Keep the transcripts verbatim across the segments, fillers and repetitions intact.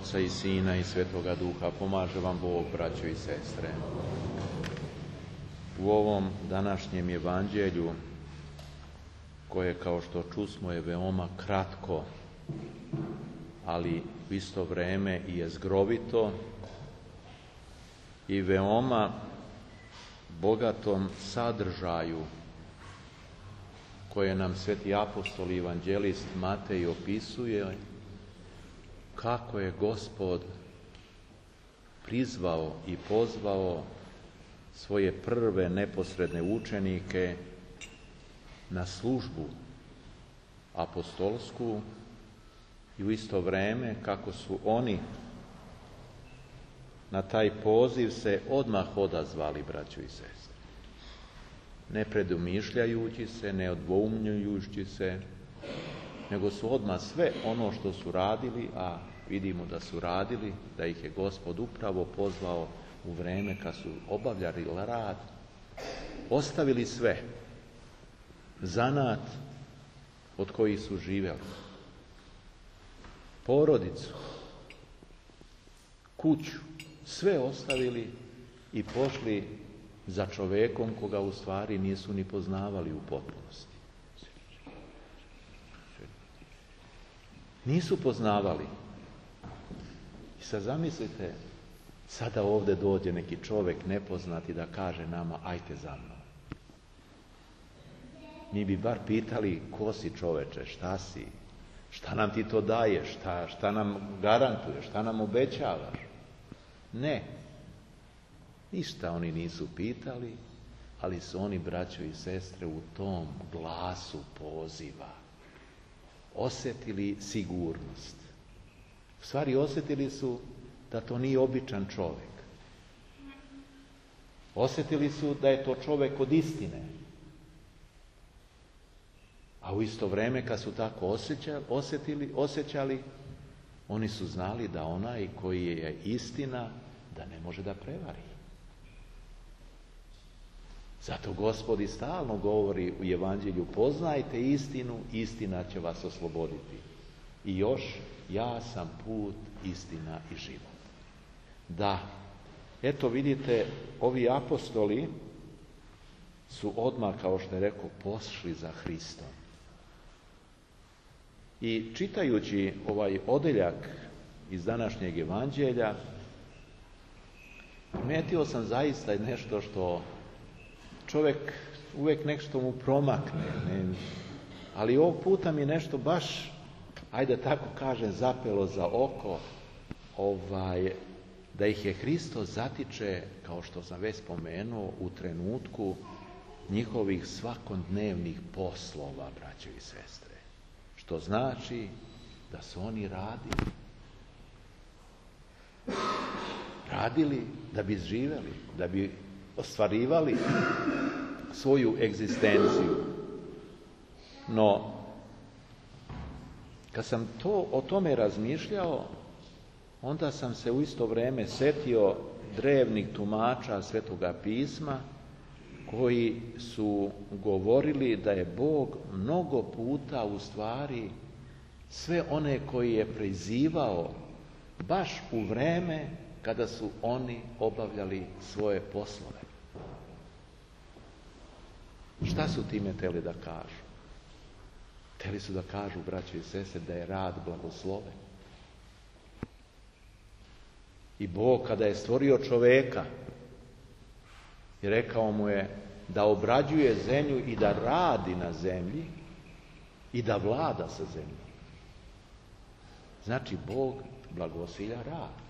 Oca i Sina i Svetoga Duha. Pomaže vam Bog, braćo i sestre. U ovom današnjem evanđelju, koje, kao što čusmo, je veoma kratko, ali u isto vrijeme i jezgrovito i veoma bogatom sadržaju koje nam sveti apostol i evanđelist Matej opisuje, kako je Gospod prizvao i pozvao svoje prve neposredne učenike na službu apostolsku i u isto vrijeme kako su oni na taj poziv se odmah odazvali, braćo i sestre. Ne predumišljajući se, ne odvoumljujući se, nego su odmah sve ono što su radili, a vidimo da su radili, da ih je Gospod upravo pozvao u vrijeme kad su obavljali rad, ostavili sve, zanat od kojih su živjeli, porodicu, kuću, sve ostavili i pošli za čovjekom koga u stvari nisu ni poznavali u potpunosti. Nisu poznavali. I sad zamislite, sada ovdje dođe neki čovjek nepoznati da kaže nama, ajte za mnom. Mi bi bar pitali, ko si čoveče, šta si, šta nam ti to daješ, šta, šta nam garantuješ, šta nam obećavaš. Ne, ništa oni nisu pitali, ali su oni, braćo i sestre, u tom glasu poziva osjetili sigurnost. U stvari osjetili su da to nije običan čovjek. Osjetili su da je to čovjek od istine. A u isto vrijeme kad su tako osjećali, osjetili, osjećali, oni su znali da onaj koji je istina, da ne može da prevari. Zato Gospod i stalno govori u evanđelju, poznajte istinu, istina će vas osloboditi. I još, ja sam put, istina i život. Da, eto vidite, ovi apostoli su odmah, kao što je rekao, pošli za Hristom. I čitajući ovaj odeljak iz današnjeg evanđelja, primetio sam zaista nešto što čovjek uvijek nešto mu promakne, ne? Ali ovog puta mi nešto baš, ajde tako kažem, zapelo za oko, ovaj, da ih je Hristos zatiče, kao što sam već spomenuo, u trenutku njihovih svakodnevnih poslova, braćo i sestre. Što znači da su oni radili. Radili da bi živjeli, da bi ostvarivali svoju egzistenciju. No, kad sam to, o tome razmišljao, onda sam se u isto vrijeme setio drevnih tumača Svetoga pisma koji su govorili da je Bog mnogo puta u stvari sve one koji je prizivao baš u vrijeme kada su oni obavljali svoje poslove. Šta su time htjeli da kažu? Htjeli su da kažu, braćo i sestre, da je rad blagosloven. I Bog, kada je stvorio čovjeka, i rekao mu je da obrađuje zemlju i da radi na zemlji i da vlada sa zemljom. Znači, Bog blagosilja rad.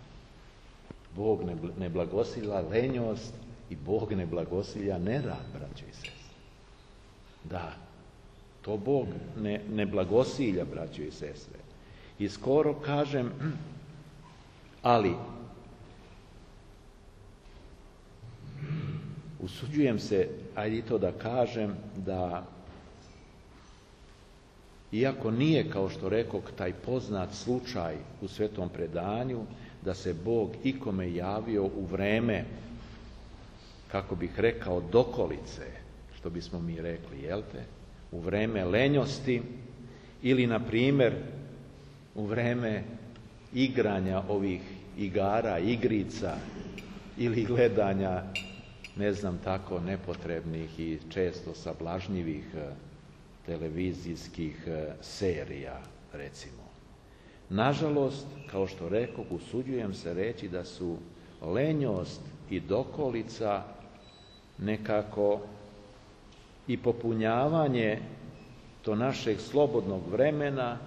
Bog ne, ne blagosilja lenjost i Bog ne blagosilja nerad, braćo i sestre. Da, to Bog ne, ne blagosilja, braćo i sestre. I skoro kažem, ali usuđujem se, ajde i to da kažem, da iako nije, kao što rekoh, taj poznat slučaj u svetom predanju, da se Bog ikome javio u vreme, kako bih rekao, dokolice, što bismo mi rekli, jel te? U vreme lenjosti ili, na primjer, u vreme igranja ovih igara, igrica ili gledanja, ne znam, tako nepotrebnih i često sablažnjivih televizijskih serija, recimo. Nažalost, kao što rekoh, usuđujem se reći da su lenjost i dokolica nekako i popunjavanje to našeg slobodnog vremena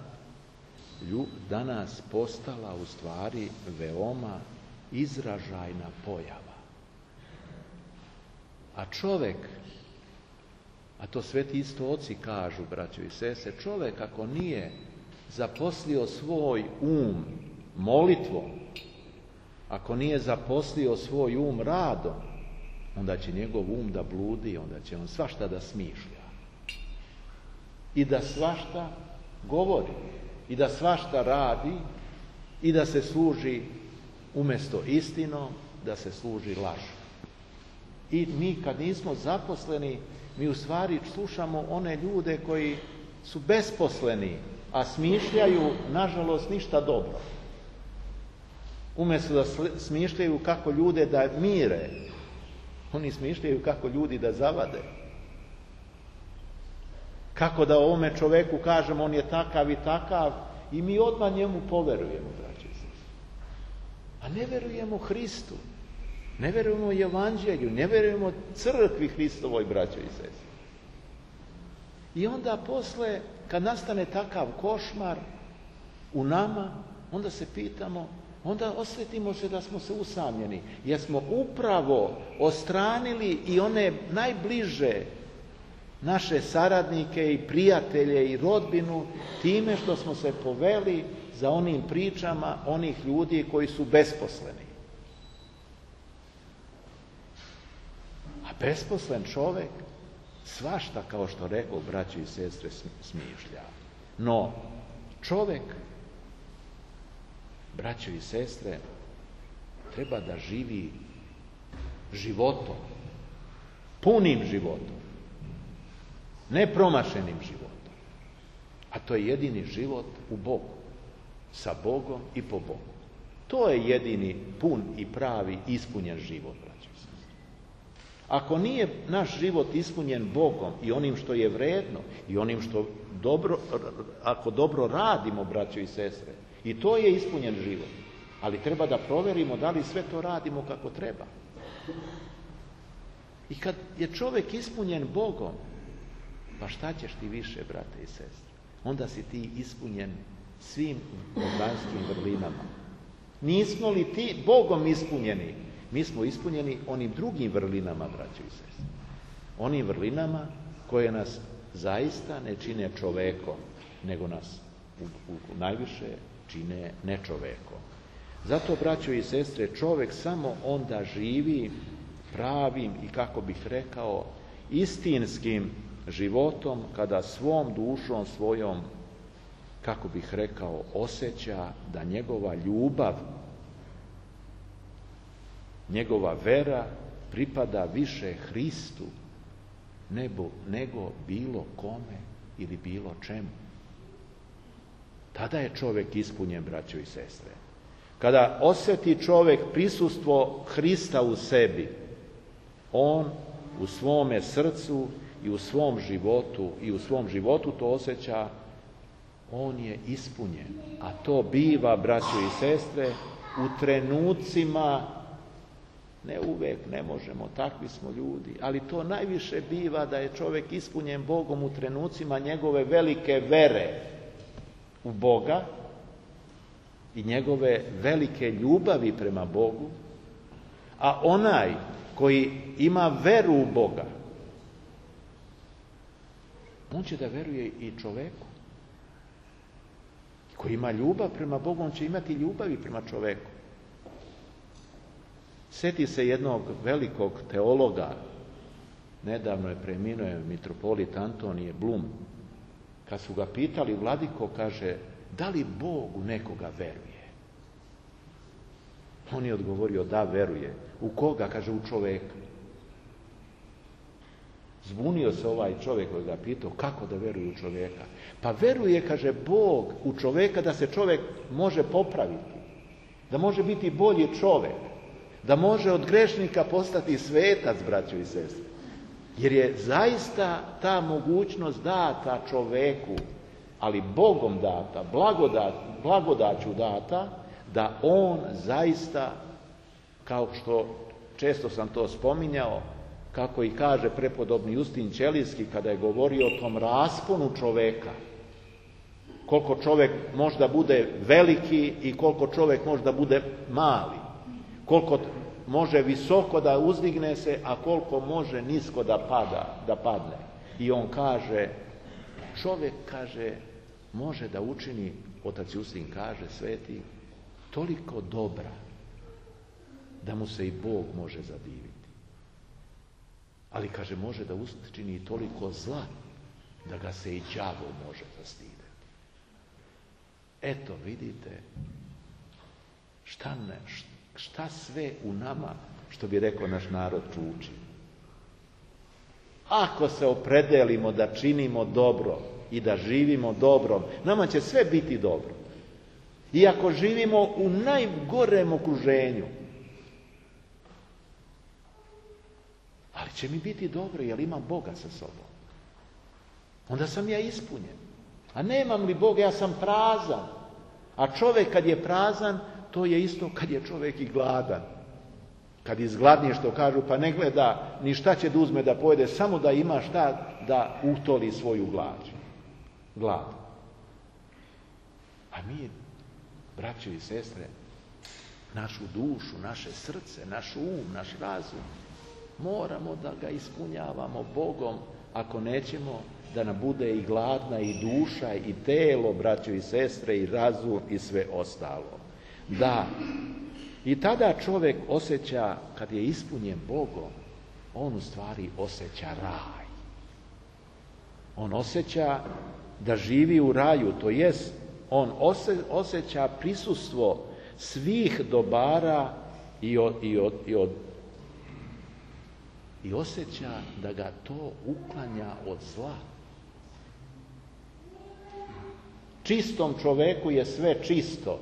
danas postala u stvari veoma izražajna pojava. A čovek, a to sveti isto oci kažu, braćo i sestre, čovek ako nije zaposlio svoj um molitvom, ako nije zaposlio svoj um radom, onda će njegov um da bludi, onda će on svašta da smišlja. I da svašta govori, i da svašta radi, i da se služi umjesto istinom, da se služi lažom. I mi kad nismo zaposleni, mi u stvari slušamo one ljude koji su besposleni, a smišljaju, nažalost, ništa dobro. Umjesto da smišljaju kako ljude da mire, oni smišljaju kako ljudi da zavade. Kako da ovome čoveku kažemo on je takav i takav i mi odmah njemu poverujemo, braći i sestre. A ne verujemo Hristu, ne verujemo Evanđelju, ne verujemo crkvi Hristovoj, braćo i sestre. I onda posle, kad nastane takav košmar u nama, onda se pitamo, onda osjetimo se da smo se usamljeni, jer smo upravo ostranili i one najbliže naše saradnike i prijatelje i rodbinu time što smo se poveli za onim pričama onih ljudi koji su besposleni. A besposlen čovek svašta, kao što rekao, braći i sestre, smišlja. No, čovek, braćo i sestre, treba da živi životom, punim životom, nepromašenim životom. A to je jedini život u Bogu, sa Bogom i po Bogu. To je jedini pun i pravi ispunjen život, braćo i sestre. Ako nije naš život ispunjen Bogom i onim što je vredno i onim što dobro, ako dobro radimo, braćo i sestre, i to je ispunjen život. Ali treba da proverimo da li sve to radimo kako treba. I kad je čovjek ispunjen Bogom, pa šta ćeš ti više, brate i sestre? Onda si ti ispunjen svim božanskim vrlinama. Nismo li ti Bogom ispunjeni? Mi smo ispunjeni onim drugim vrlinama, braćo i sestre. Onim vrlinama koje nas zaista ne čine čovekom, nego nas u, u, najviše čine nečovekom. Zato, braćo i sestre, čovjek samo onda živi pravim i, kako bih rekao, istinskim životom kada svom dušom svojom, kako bih rekao, osjeća da njegova ljubav, njegova vera pripada više Hristu nego, nego bilo kome ili bilo čemu. Tada je čovjek ispunjen, braćo i sestre. Kada osjeti čovjek prisustvo Hrista u sebi, on u svome srcu i u svom životu i u svom životu to osjeća, on je ispunjen. A to biva, braćo i sestre, u trenucima, ne uvek, ne možemo, takvi smo ljudi, ali to najviše biva da je čovjek ispunjen Bogom u trenucima njegove velike vere u Boga i njegove velike ljubavi prema Bogu, a onaj koji ima veru u Boga, on će da veruje i čoveku. Koji ima ljubav prema Bogu, on će imati ljubavi prema čoveku. Sjeti se jednog velikog teologa, nedavno je preminuo mitropolit Antonije Blum, kad su ga pitali, vladiko, kaže, da li Bog u nekoga veruje? On je odgovorio, da, veruje. U koga? Kaže, u čoveka. Zbunio se ovaj čovjek koji ga pitao kako da veruje u čovjeka. Pa veruje, kaže Bog, u čovjeka da se čovjek može popraviti, da može biti bolji čovjek, da može od grešnika postati svetac, braćo i sestre. Jer je zaista ta mogućnost data čovjeku, ali Bogom data, blagodat, blagodaću data, da on zaista, kao što često sam to spominjao, kako i kaže prepodobni Justin Ćelijski kada je govorio o tom rasponu čovjeka, koliko čovjek možda bude veliki i koliko čovjek možda bude mali, koliko može visoko da uzdigne se, a koliko može nisko da pada, da padne. I on kaže, čovjek, kaže, može da učini, otac Justin kaže, sveti, toliko dobra, da mu se i Bog može zadiviti. Ali, kaže, može da učini i toliko zla, da ga se i đavo može zastideti. Eto, vidite, šta, ne, šta sve u nama, što bi rekao naš narod, čuči. Ako se opredelimo da činimo dobro i da živimo dobrom, nama će sve biti dobro. I ako živimo u najgorem okruženju, ali će mi biti dobro jer imam Boga sa sobom. Onda sam ja ispunjen. A nemam li Boga, ja sam prazan. A čovjek kad je prazan, to je isto kad je čovjek i gladan. Kad izgladnije, što kažu, pa ne gleda ni šta će da uzme da pojede, samo da ima šta da utoli svoju glad. glad. A mi, braćo i sestre, našu dušu, naše srce, naš um, naš razum, moramo da ga ispunjavamo Bogom, ako nećemo da nam bude i gladna i duša i telo, braćo i sestre, i razum i sve ostalo. Da, i tada čovjek osjeća, kad je ispunjen Bogom, on u stvari osjeća raj. On osjeća da živi u raju, to jest on osjeća prisustvo svih dobara i od, i od, i od i osjeća da ga to uklanja od zla. Čistom čoveku je sve čisto,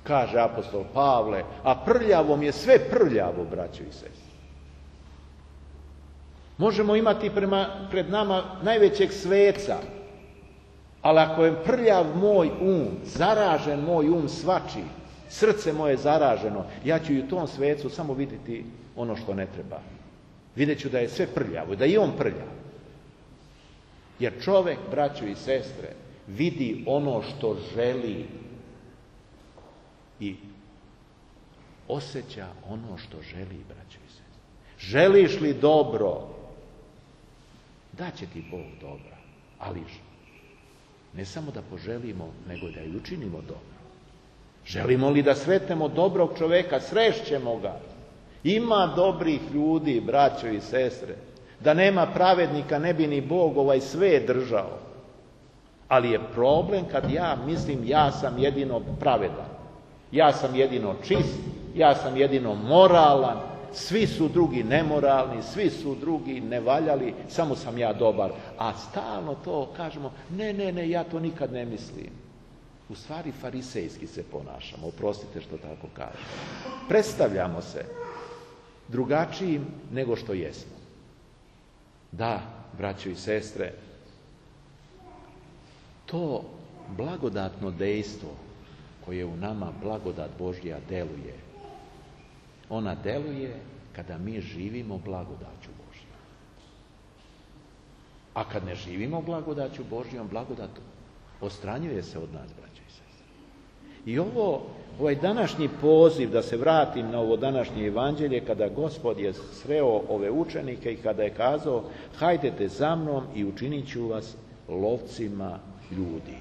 kaže apostol Pavle, a prljavom je sve prljavo, braćo i sestre. Možemo imati prema, pred nama najvećeg sveca, ali ako je prljav moj um, zaražen moj um svači, srce moje zaraženo, ja ću i u tom svecu samo vidjeti ono što ne treba. Vidjet ću da je sve prljavo, da je on prljav. Jer čovjek, braćo i sestre, vidi ono što želi i osjeća ono što želi, braćo i sestre. Želiš li dobro, daće ti Bog dobra, ali ne samo da poželimo, nego da i učinimo dobro. Želimo li da sretnemo dobrog čovjeka, srešćemo ga. Ima dobrih ljudi, braćo i sestre. Da nema pravednika, ne bi ni Bog ovaj sve držao. Ali je problem kad ja mislim ja sam jedino pravedan. Ja sam jedino čist, ja sam jedino moralan, svi su drugi nemoralni, svi su drugi nevaljali, samo sam ja dobar. A stalno to kažemo, ne, ne, ne, ja to nikad ne mislim. U stvari farisejski se ponašamo, oprostite što tako kažem. Predstavljamo se drugačijim nego što jesmo. Da, braćo i sestre, to blagodatno dejstvo koje u nama blagodat Božja deluje, ona deluje kada mi živimo blagodaću Božjom. A kad ne živimo blagodaću Božjom, blagodat odstranjuje se od nas, braćo i sestre. I ovo, ovaj današnji poziv, da se vratim na ovo današnje evanđelje, kada Gospod je sreo ove učenike i kada je kazao, hajdete za mnom i učinit ću vas lovcima ljudi.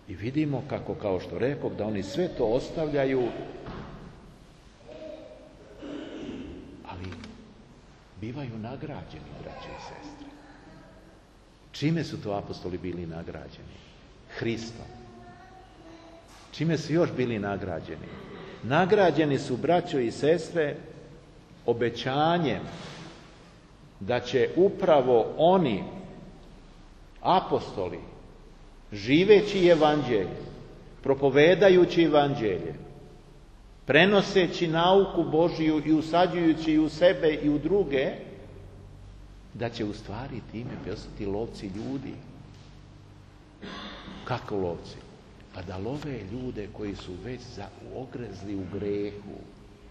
I vidimo kako, kao što rekoh, da oni sve to ostavljaju, ali bivaju nagrađeni, braće i sestre. Čime su to apostoli bili nagrađeni? Hristom. Čime su još bili nagrađeni? Nagrađeni su, braćo i sestre, obećanjem da će upravo oni, apostoli, živeći evanđelje, propovedajući evanđelje, prenoseći nauku Božiju i usađujući u sebe i u druge, da će u stvari time postati lovci ljudi. Kako lovci? Pa da love ljude koji su već za, ogrezli u grehu,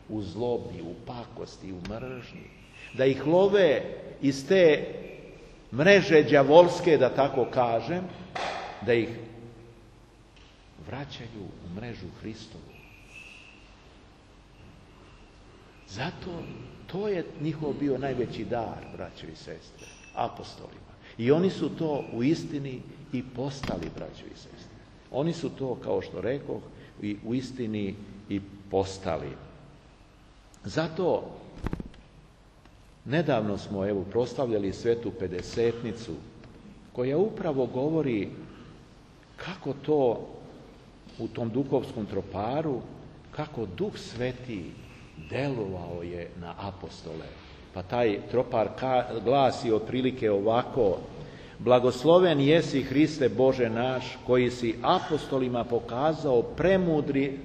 u zlobi, u pakosti, u mržnji. Da ih love iz te mreže đavolske, da tako kažem, da ih vraćaju u mrežu Hristovu. Zato to je njihov bio najveći dar, braćo i sestre, apostolima. I oni su to u istini i postali, braćo i sestre. Oni su to, kao što rekoh, i u istini i postali. Zato nedavno smo evo proslavljali Svetu Pedesetnicu, koja upravo govori kako to u tom duhovskom troparu, kako Duh Sveti delovao je na apostole. Pa taj tropar glasi otprilike ovako: blagosloven jesi Hriste Bože naš, koji si apostolima pokazao premudri,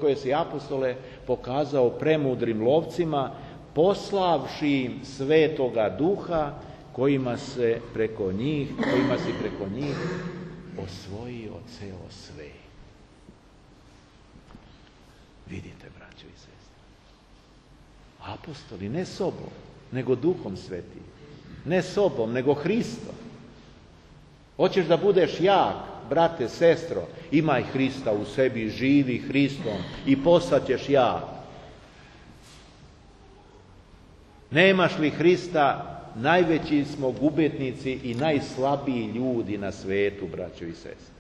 koje si apostole pokazao premudrim lovcima, poslavši im Svetoga Duha, kojima se preko njih, kojima si preko njih osvojio ceo svet. Vidite, braćo i sestre, apostoli ne sobom, nego Duhom Svetim, ne sobom, nego Hristom. Hoćeš da budeš jak, brate, sestro, imaj Hrista u sebi, živi Hristom i postaćeš jak. Nemaš li Hrista, najveći smo gubitnici i najslabiji ljudi na svetu, braćo i sestre.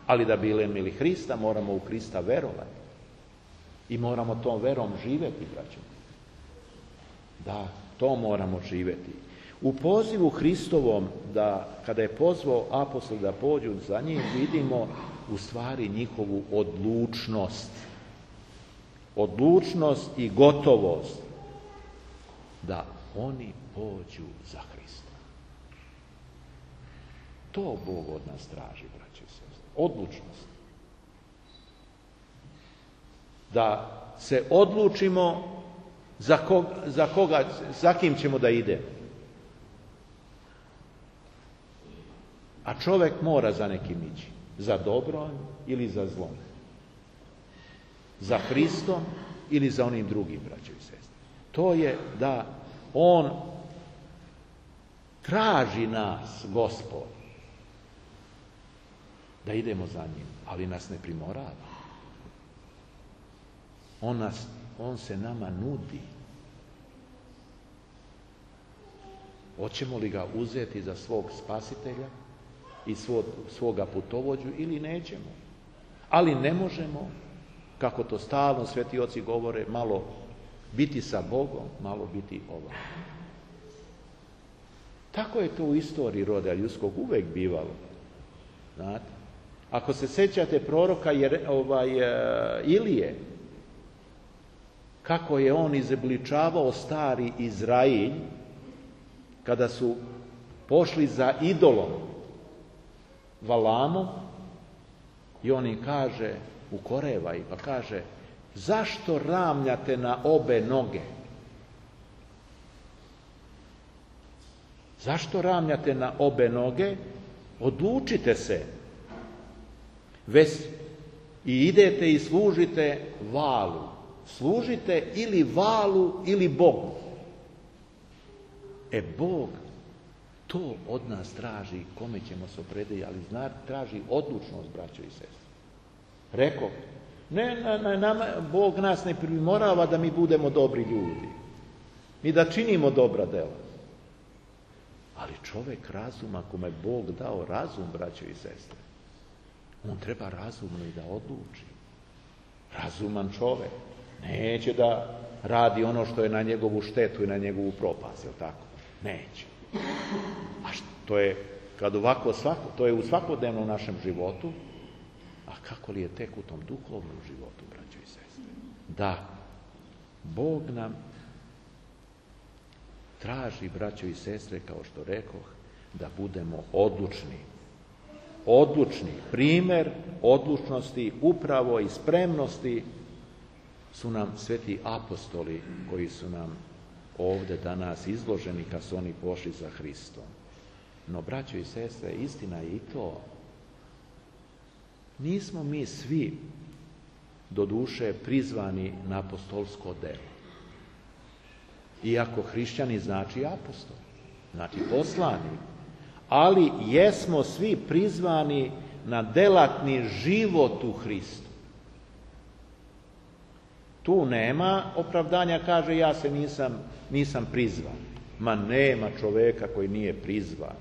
Ali da bi imali Hrista, moramo u Hrista verovati. I moramo tom verom živjeti, braćo. Da, to moramo živjeti. U pozivu Hristovom, da kada je pozvao apostol da pođu za njim, vidimo u stvari njihovu odlučnost. Odlučnost i gotovost da oni pođu za Hrista. To Bog od nas traži, braće i sestre. Odlučnost. Da se odlučimo za koga, za koga, za kim ćemo da idemo. A čovjek mora za nekim ići. Za dobrom ili za zlom. Za Hristom ili za onim drugim, braćo i sestre. To je da on traži nas, Gospod, da idemo za njim, ali nas ne primorava. On, nas, on se nama nudi. Hoćemo li ga uzeti za svog spasitelja i svog, svoga putovođu ili nećemo? Ali ne možemo, kako to stalno sveti oci govore, malo biti sa Bogom, malo biti ovako. Tako je to u istoriji roda ljudskog uvek bivalo. Znate? Ako se sjećate proroka jer, ovaj, Ilije, kako je on izobličavao stari Izrailj kada su pošli za idolom Valamom, i on im kaže, ukoreva ih, pa kaže: zašto ramljate na obe noge? Zašto ramljate na obe noge? Odlučite se. Već i idete i služite Valu. Služite ili Valu ili Bogu. E Bog to od nas traži, kome ćemo se oprediti, ali zna, traži odlučnost, braćo i sestre. Rekao, ne, ne, nama, Bog nas ne primorava da mi budemo dobri ljudi. Mi da činimo dobra dela. Ali čovjek razuma, kome Bog dao razum, braćo i sestre, on treba razumno i da odluči. Razuman čovjek neće da radi ono što je na njegovu štetu i na njegovu propast, je li tako? Neće. A što je, kad ovako svako, to je u svakodnevnom našem životu, a kako li je tek u tom duhovnom životu, braćo i sestre? Da, Bog nam traži, braćo i sestre, kao što rekoh, da budemo odlučni. Odlučni. Primjer odlučnosti, upravo i spremnosti su nam sveti apostoli koji su nam ovdje danas izloženi kad su oni pošli za Hristom. No, braćo i sestre, istina je i to. Nismo mi svi do duše prizvani na apostolsko delo. Iako hrišćani znači apostol, znači poslanik, ali jesmo svi prizvani na delatni život u Hristu. Tu nema opravdanja, kaže ja se nisam, nisam prizvan. Ma nema čoveka koji nije prizvan.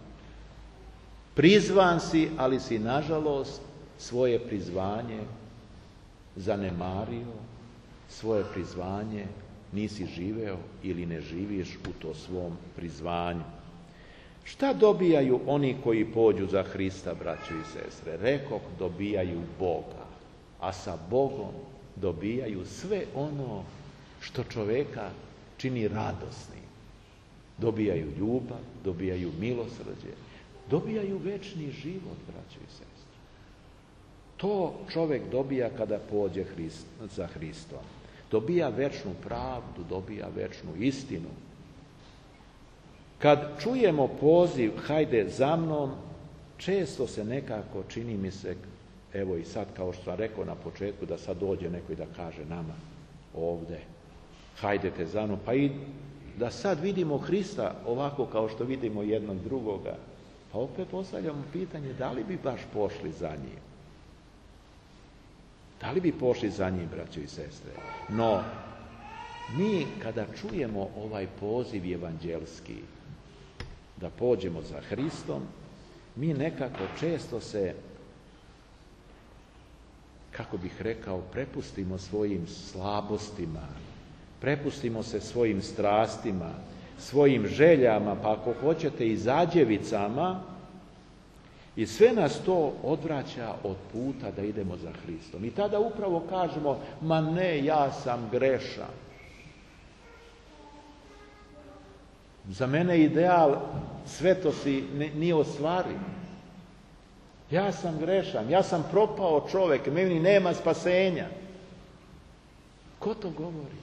Prizvan si, ali si nažalost svoje prizvanje zanemario, svoje prizvanje nisi živeo ili ne živiš u to svom prizvanju. Šta dobijaju oni koji pođu za Hrista, braćo i sestre? Rekoh, dobijaju Boga, a sa Bogom dobijaju sve ono što čoveka čini radosnim. Dobijaju ljubav, dobijaju milosrđe, dobijaju večni život, braćo i sestre. To čovjek dobija kada pođe Hrist, za Hristom. Dobija večnu pravdu, dobija večnu istinu. Kad čujemo poziv, hajde za mnom, često se nekako čini mi se, evo i sad kao što sam rekao na početku, da sad dođe neko i da kaže nama ovdje, hajdete za mnom, pa i da sad vidimo Hrista ovako kao što vidimo jednog drugoga, pa opet postavljamo pitanje da li bi baš pošli za njim. Da li bi pošli za njim, braćo i sestre? No, mi kada čujemo ovaj poziv evanđelski, da pođemo za Hristom, mi nekako često se, kako bih rekao, prepustimo svojim slabostima, prepustimo se svojim strastima, svojim željama, pa ako hoćete i zađevicama, i sve nas to odvraća od puta da idemo za Hristom. I tada upravo kažemo, ma ne, ja sam grešan. Za mene ideal svetosti nije ostvariv. Ja sam grešan, ja sam propao čovjek, meni nema spasenja. Ko to govori?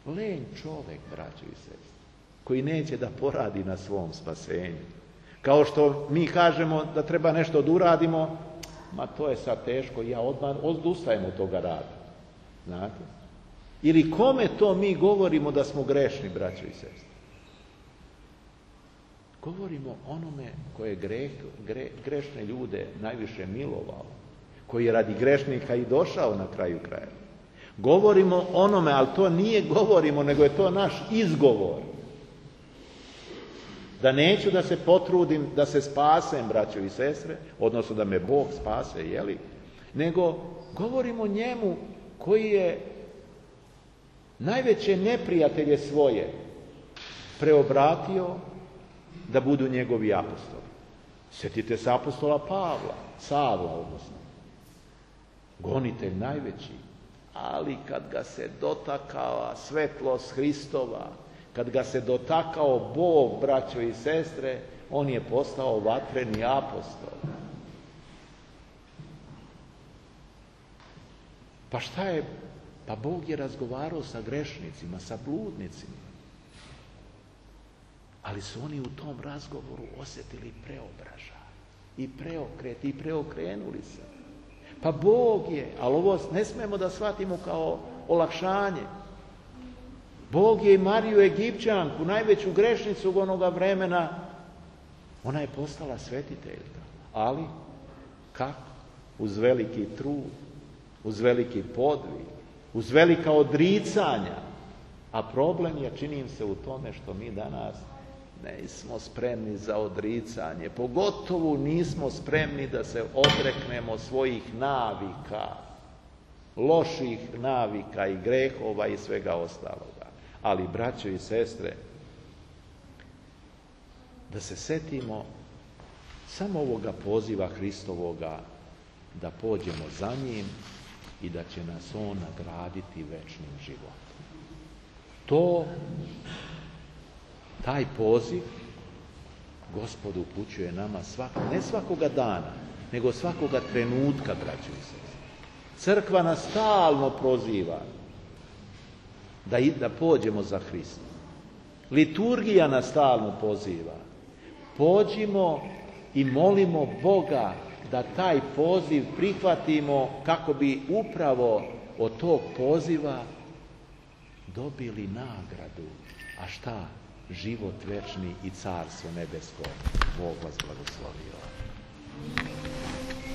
Lenj čovjek, braćo i sestre, koji neće da poradi na svom spasenju. Kao što mi kažemo da treba nešto da uradimo, ma to je sad teško, ja odmah odustajem od toga rada. Znate? Ili kome to mi govorimo da smo grešni, braćo i sestre? Govorimo onome koje je greh, gre, grešne ljude najviše milovao, koji je radi grešnika i došao na kraju kraja. Govorimo onome, ali to nije govorimo, nego je to naš izgovor. Da neću da se potrudim, da se spasem, braćo i sestre, odnosno da me Bog spase, jeli? Nego govorimo njemu koji je najveće neprijatelje svoje preobratio da budu njegovi apostoli. Sjetite se apostola Pavla, Savla, odnosno. Gonitelj najveći. Ali kad ga se dotakava svetlost Hristova, kad ga se dotakao Bog, braćo i sestre, on je postao vatreni apostol. Pa šta je? Pa Bog je razgovarao sa grešnicima, sa bludnicima. Ali su oni u tom razgovoru osjetili preobražaj i preokret i preokrenuli se. Pa Bog je, ali ovo ne smemo da shvatimo kao olakšanje. Bog je i Mariju Egipćanku, najveću grešnicu onoga vremena, ona je postala svetiteljka. Ali, kako? Uz veliki trud, uz veliki podvig, uz velika odricanja. A problem je, činim se, u tome što mi danas nismo spremni za odricanje. Pogotovo nismo spremni da se odreknemo svojih navika, loših navika i grehova i svega ostaloga. Ali, braćo i sestre, da se setimo samo ovoga poziva Hristovoga, da pođemo za njim i da će nas on nagraditi večnim životom. To Taj poziv Gospod upućuje nama svak, ne svakoga dana, nego svakoga trenutka, braćo i sestre. Crkva nas stalno proziva da, da pođemo za Hristom. Liturgija nas stalno poziva. Pođimo i molimo Boga da taj poziv prihvatimo kako bi upravo od tog poziva dobili nagradu. A šta? Život večni i carstvo nebesko. Bog vas blagoslovio.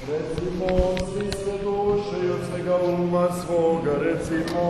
Recimo svi sve duše i od svega uma svoga, recimo